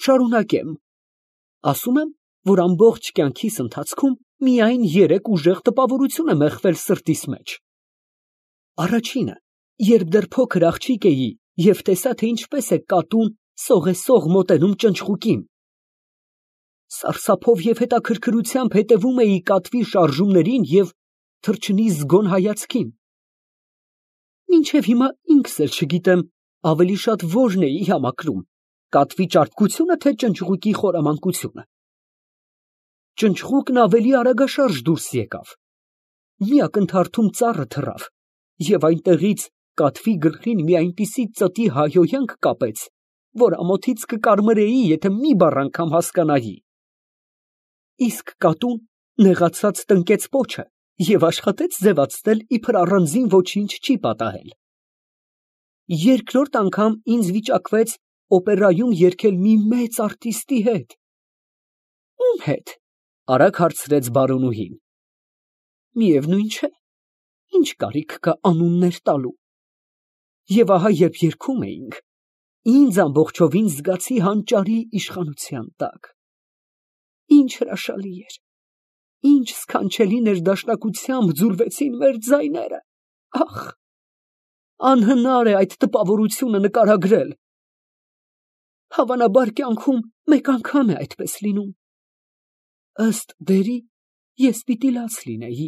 շարունակեմ։ Ասում եմ, որ ամբողջ կյանքիս ընթացքում միայն 3 ուժեղ տպավորություն է մեղվել սրտիս մեջ։ Առաջինը, երբ դեռ փոքր աղջիկ էի և տեսա, թե ինչպես է կատուն սողեսող մոտենում ճնճղուկին։ Սարսափով և հետաքրքրությամբ հետևում էի կատվի շարժումներին և թռչնի զգոն հայացքին։ Մինչև հիմա ինքս էլ չգիտեմ ավելի շատ որն էի համակրում, կատվի ճարպկությո՞ւնը, թե ճնճղուկի խորամանկությունը։ Ճնճղուկն ավելի արագաշարժ դուրս եկավ, մի ակնթարթում ծառը թռավ, և այնտեղից կատվի գլխին մի այնպիսի ծտի հայհոյանք կապեց, որ ամոթից կկարմրեի, եթե մի բառ անգամ հասկանայի։ Իսկ կատուն նեղացած տնկեց պոչը և աշխատեց ձևացնել, իբր առանձին ոչինչ չի պատահել։ Երկրորդ անգամ ինձ վիճակվեց օպերայում երգել մի մեծ արտիստի հետ։ Ո՞ւմ հետ, արագ հարցրեց բարոնուհին։ Միևնույն չէ, ինչ կարիք կա անուններ տալու։ Եվ ահա, երբ երգում էինք, ինձ ամբողջովին զգացի հանճարի իշխանության տակ։ Ինչ հրաշալի էր, ինչ սքանչելի ներդաշնակությամբ ձուլվեցին մեր ձայները։ Ախ, անհնար է այդ տպավորությունը նկարագրել։ Հավանաբար կյանքում մեկ անգամ է այդպես լինում։ Ըստ դերի, ես պիտի լաց լինեի,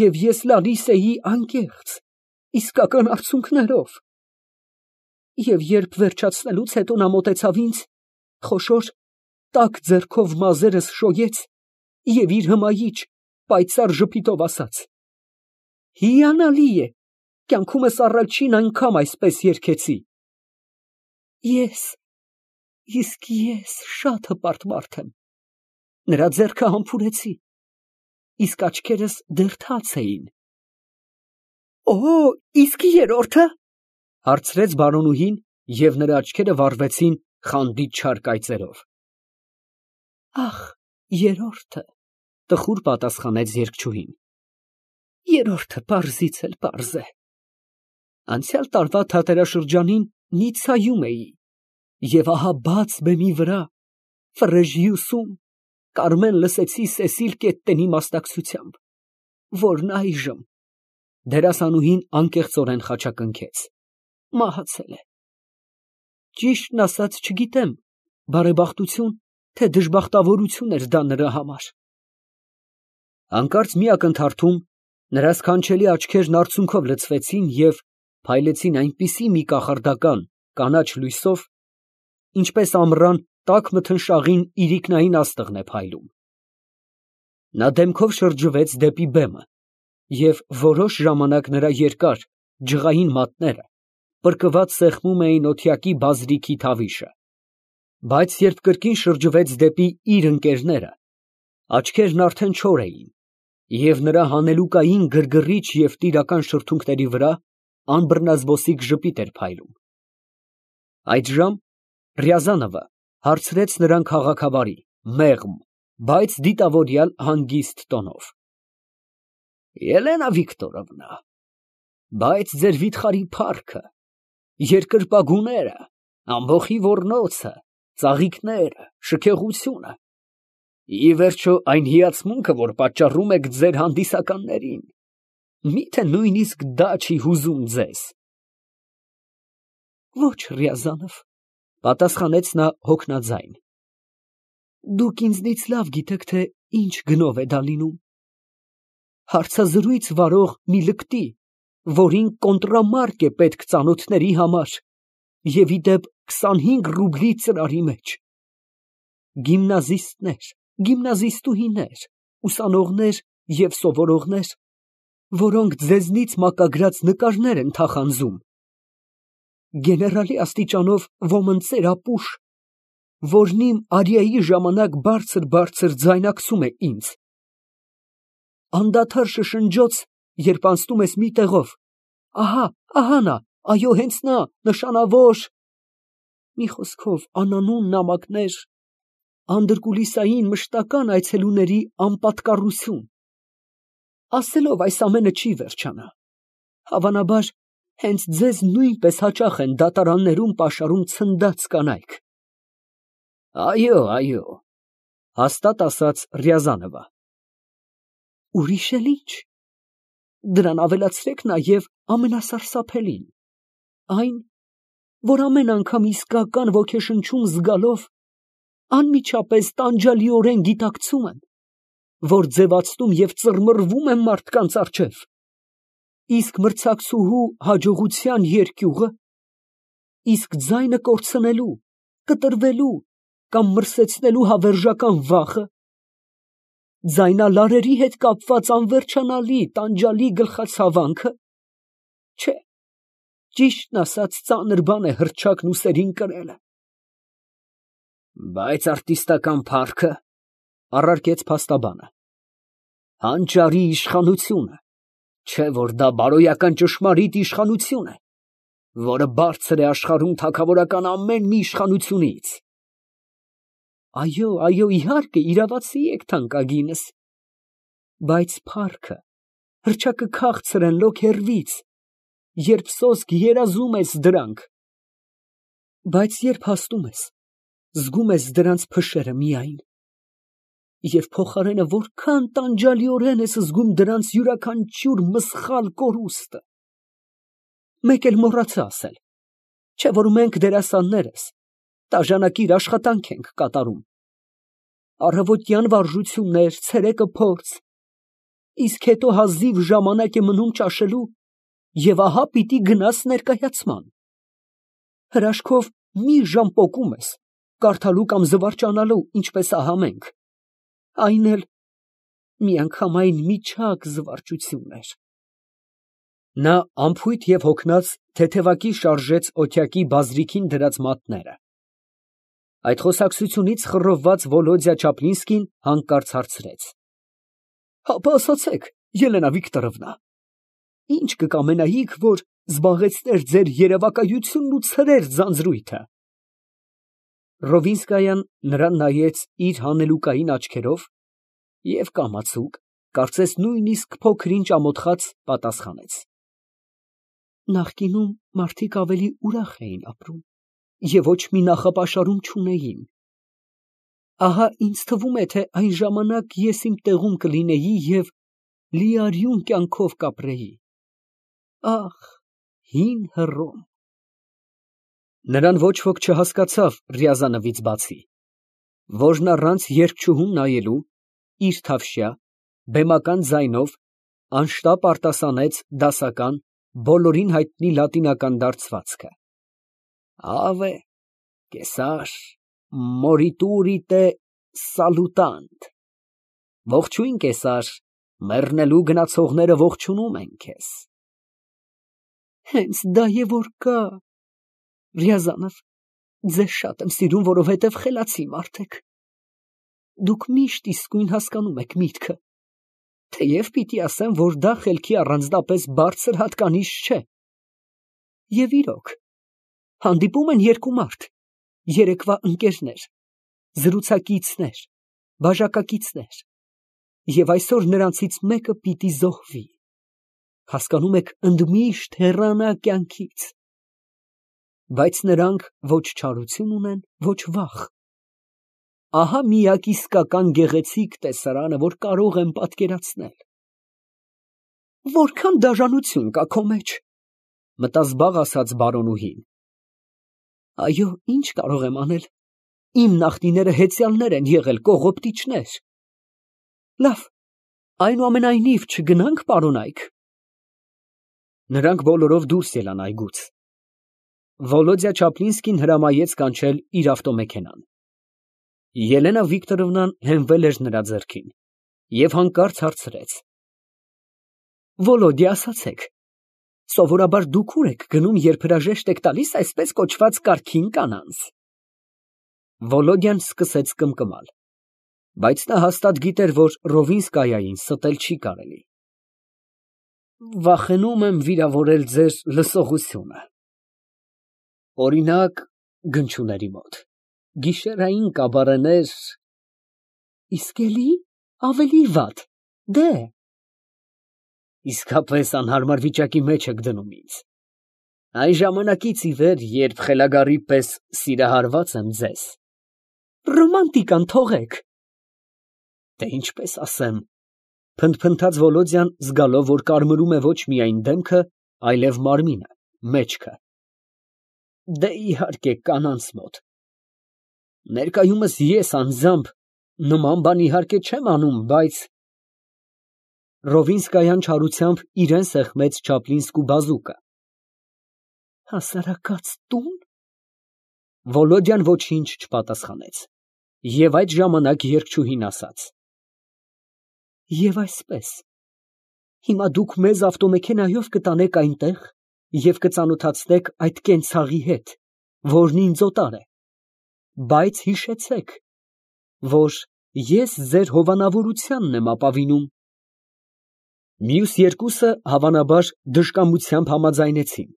և ես լալիս էի անկեղծ, իսկական արցունքներով։ Եվ երբ վերջացնելուց հետո նա մոտեցավ ինձ, խոշոր, տաք ձեռքով մազերս շոյեց և իր հմայիչ, պայծառ ժպիտով ասաց. «Հիանալի է, կյանքումս առաջին անգամ այսպես երգեցի»։ Իսկ ես շատ հպարտ մարդ եմ։ Նրա ձեռքը համբուրեցի, իսկ աչքերս դեռ թաց էին։ Օ, իսկ երրորդը, հարցրեց բարոնուհին, և նրա աչքերը վառվեցին խանդիտ չար կայծերով։ Ախ, երրորդը, տխուր պատասխանեց երգչուհին։ Երրորդը պարզից էլ պարզ է։ Անցյալ տարվա թատերաշրջանին Նիցայում էի, և ահա բաց բեմի վրա, Ֆրեժիուսում, Կարմեն լսեցի Սեսիլ Կետտենի մասնակցությամբ, որն այժմ, դերասանուհին անկեղծորեն խաչակնքեց, մահացել է։ Ճիշտն ասած չգիտեմ, բարեբախտություն, թե դժբախտավորություն էր դա նրա համար։ Հանկարծ մի ակնթարթում նրա սքանչելի աչքերն արցունքով լցվեցին և փայլեցին այնպիսի մի կախարդական կանաչ լույսով, ինչպես ամռան տաք մթնշաղին իրիկնային աստղն է փայլում։ Նա դեմքով շրջվեց դեպի բեմը, և որոշ ժամանակ նրա երկար, ջղային մատները պրկված սեղմում էին օթյակի բազրիքի թավիշը, բայց երբ կրկին շրջվեց դեպի իր ընկերները, աչքերն արդեն չոր էին, և նրա հանելուկային գրգռիչ և տիրական շրթունքների վրա անբռնազբոսիկ ժպիտ էր փայլում։ Այդժամ Ռյազանովը հարցրեց նրան քաղաքավարի, մեղմ, բայց դիտավորյալ հանգիստ տոնով. Ելենա Վիկտորովնա, բայց ձեր վիթխարի փառքը, երկրպագուները, ամբոխի ոռնոցը, ծաղիկները, շքեղությունը, ի վերջո այն հիացմունքը, որ պատճառում եք ձեր հանդիսականներին, միթե նույնիսկ դա չի հուզում ձեզ։ Ոչ, Ռյազանով, պատասխանեց նա հոգնածայն, դուք ինձնից լավ գիտեք, թե ինչ գնով է դա լինում։ Հարցազրույց վարող մի լկտի, որին կոնտրամարկ է պետք ծանոթների համար, և ի դեպ 25 ռուբլի ծրարի մեջ։ Գիմնազիստներ, գիմնազիստուհիներ, ուսանողներ և սովորողներ, որոնք ձեզնից մակագրած նկարներ են թախանձում, գեներալի աստիճանով ոմն ծերապուշ, որն իմ արիայի ժամանակ բարձր ձայնակցում է ինձ, անդադար շշնջոց, երբ անցնում ես մի տեղով, ահա նա, այո, հենց նա, նշանավոր, մի խոսքով անանուն նամակներ, անդրկուլիսային մշտական այցելուների անպատկառություն։ Ասելով այս ամենը չի վերջանա, հավանաբար, հենց ձեզ նույնպես հաճախ են դատարաններում պաշարում ցնդած կանայք։ Այո, այո, հաստատ ասաց Ռյազանովը։ Ուրիշ էլ ինչ։ Դրան ավելացրեք նաև ամենասարսափելին, այն, որ ամեն անգամ իսկական ոգեշնչում զգալով անմիջապես տանջալիորեն գիտակցում եմ, որ ձևացնում և ծռմռվում եմ մարդկանց առջև, իսկ մրցակցուհու հաջողության երկյուղը, իսկ ձայնը կորցնելու, կտրվելու կամ մրսեցնելու հավերժական վախը, ձայնալարերի հետ կապված անվերջանալի տանջալի գլխացավանքը, չէ, ճիշտն ասած ծանր բան է հռչակն ուսերին կրելը։ Բայց արտիստական փառքը, առարկեց փաստաբանը, հանճարի իշխանությունը, չէ որ դա բարոյական ճշմարիտ իշխանություն է, որը բարձր է աշխարհում թագավորական ամեն մի իշխանությունից։ Այո, այո, իհարկե, իրավացի եք թանկագինս, բայց փառքը, հռչակը քաղցր են լոկ հեռվից, երբ սոսկ երազում ես դրանք, բայց երբ հասնում ես, զգում ես դրանց փշերը միայն, և փոխարենը որքան տանջալիորեն ես զգում դրանց յուրաքանչյուր մսխալ կորուստը։ Մեկ էլ մոռացա ասել, չէ որ մենք դերասաններս տաժանակիր աշխատանք ենք կատարում, առավոտյան վարժություններ, ցերեկը փորձ, իսկ հետո հազիվ ժամանակ է մնում ճաշելու, և ահա պիտի գնաս ներկայացման։ Հրաշքով մի ժամ պոկում ես, կարդալու կամ զվարճանալու, ինչպես ահա մենք, այն էլ միանգամայն միջակ զվարճություններ։ Նա անփույթ և հոգնած թեթևակի շարժեց օթյակի բազրիքին դրած մատները։ Այդ խոսակցությունից խռովված Վոլոդյա Չապլինսկին հանկարծ հարցրեց. Հապա ասացեք, Ելենա Վիկտորովնա, ինչ կկամենայիք, որ զբաղեցներ ձեր երևակայությունն ու ցրեր ձանձրույթը։ Ռովինսկայան նրան նայեց իր հանելուկային աչքերով և կամացուկ, կարծես նույնիսկ փոքր-ինչ ամոթխած, պատասխանեց. Նախկինում մարդիկ ավելի ուրախ էին ապրում և ոչ մի նախապաշարում չունեին։ Ահա ինձ թվում է, թե այն ժամանակ ես իմ տեղում կլինեի և լիարյուն կյանքով կապրեի։ Ախ, հին Հռոմ։ Նրան ոչ ոք չհասկացավ Ռյազանովից բացի, որն առանց երգչուհուն նայելու, իր թավշյա, բեմական ձայնով անշտապ արտասանեց դասական, բոլորին հայտնի լատինական դարձվածքը. Ave, Կեսար, մորիտուրիտե սալուտանտ։ Ողջույն, Կեսար, մեռնելու գնացողները ողջունում են քեզ։ Հենց դա է որ կա, Ռյազանով, ձեզ շատ եմ սիրում, որովհետև խելացի մարդ եք։ Դուք միշտ իսկույն հասկանում եք միտքը, թեև պիտի ասեմ, որ դա խելքի առանձնապես բարձր հատկանիշ չէ։ Եվ իրոք, հանդիպում են երկու մարդ, երեկվա ընկերներ, զրուցակիցներ, բաժակակիցներ, և այսօր նրանցից մեկը պիտի զոհվի, հասկանում եք, ընդմիշտ հեռանա կյանքից, բայց նրանք ոչ չարություն ունեն, ոչ վախ։ Ահա միակ իսկական գեղեցիկ տեսարանը, որ կարող եմ պատկերացնել։ Որքան դաժանություն կա քո մեջ, մտազբաղ ասաց բարոնուհին։ Այո, ինչ կարող եմ անել, իմ նախնիները հեծյալներ են եղել, կողոպտիչներ։ Լավ, այնուամենայնիվ չգնանք պարոնայք։ Նրանք բոլորով դուրս ելան այգուց։ Վոլոդյա Չապլինսկին հրամայեց կանչել իր ավտոմեքենան։ Ելենա Վիկտորովնան հենվել էր նրա ձեռքին և հանկարծ հարցրեց. Վոլոդյա, ասացեք, սովորաբար դուք ուր եք գնում, երբ հրաժեշտ եք տալիս այսպես կոչված կարգին կանանց։ Վոլոդյան սկսեց կմկմալ, բայց նա հաստատ գիտեր, որ Ռովինսկայային ստել չի կարելի։ Վախենում եմ վիրավորել ձեր լսողությունը։ Օրինակ, գնչուների մոտ, գիշերային կաբարեներ… Իսկ էլի ավելի վատ, դե… Իսկապես անհարմար վիճակի մեջ եք դնում ինձ։ Այն ժամանակից ի վեր, երբ խելագարի պես սիրահարված եմ ձեզ, Ռոմանտիկան թողեք։ Դե ինչպես ասեմ, փնթփնթաց Վոլոդյան, զգալով, որ կարմրում է ոչ միայն դեմքը, այլև մարմինը, մեջքը։ Դե իհարկե կանանց մոտ։ Ներկայումս ես անձամբ նման բան իհարկե չեմ անում, բայց… Ռովինսկայան չարությամբ իրան սեղմեց Չապլինսկու բազուկը։ Հասարակած տո՞ւն։ Վոլոդյան ոչինչ չպատասխանեց։ Եվ այդ ժամանակ երգչուհին ասաց. Եվ այսպես, հիմա դուք մեզ ավտոմեքենայով կտանեք այնտեղ և կծանոթացնեք այդ կենցաղի հետ, որն ինձ օտար է, բայց հիշեցեք, որ ես ձեր հովանավորությանն եմ ապավինում։ Մյուս երկուսը, հավանաբար, դժկամությամբ համաձայնեցին,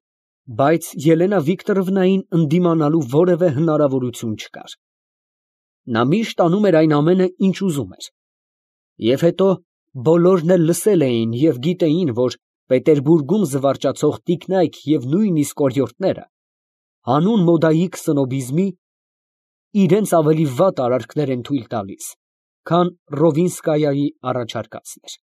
բայց Ելենա Վիկտորովնային ընդդիմանալու որևէ հնարավորություն չկար։ Նա միշտ անում էր այն ամենը, ինչ ուզում էր։ Եվ հետո բոլորն էլ լսել էին և գիտեին, որ Պետերբուրգում զվարճացող տիկնայք և նույնիսկ օրիորդները հանուն մոդայիկ սնոբիզմի իրենց ավելի վատ արարքներ են թույլ տալիս, քան Ռովինսկայայի առաջարկածն էր։